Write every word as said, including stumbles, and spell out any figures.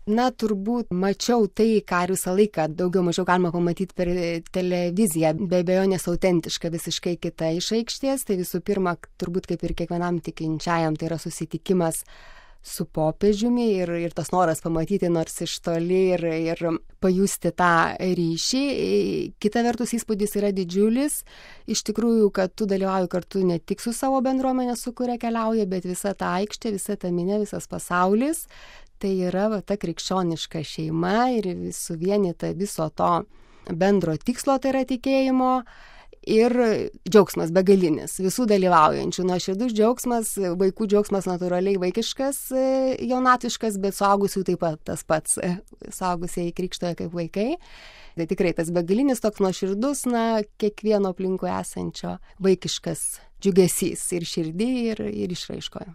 Na, turbūt mačiau tai, ką visą laiką daugiau mažiau galima pamatyti per televiziją, be abejonės autentiška, visiškai kita iš aikštės. Tai visų pirma, turbūt kaip ir kiekvienam tikinčiajam, tai yra susitikimas su popiežiumi ir, ir tas noras pamatyti nors iš toli ir, ir pajusti tą ryšį. Kita vertus įspūdis yra didžiulis. Iš tikrųjų, kad tu dalyvauji kartu ne tik su savo bendruomenė, su kuria keliauja, bet visa ta aikštė, visa ta minė, visas pasaulis. Tai yra va, ta krikščioniška šeima ir suvienyta viso to bendro tikslo, tai yra tikėjimo. Ir džiaugsmas begalinis, visų dalyvaujančių, nuoširdus džiaugsmas, vaikų džiaugsmas natūraliai vaikiškas, jaunatviškas, bet suaugusių taip pat tas pats, suaugusieji krikštoja kaip vaikai. Tai tikrai tas begalinis toks nuoširdus, na, kiekvieno aplinkui esančio vaikiškas džiugesys ir širdį, ir, ir išraiškoje.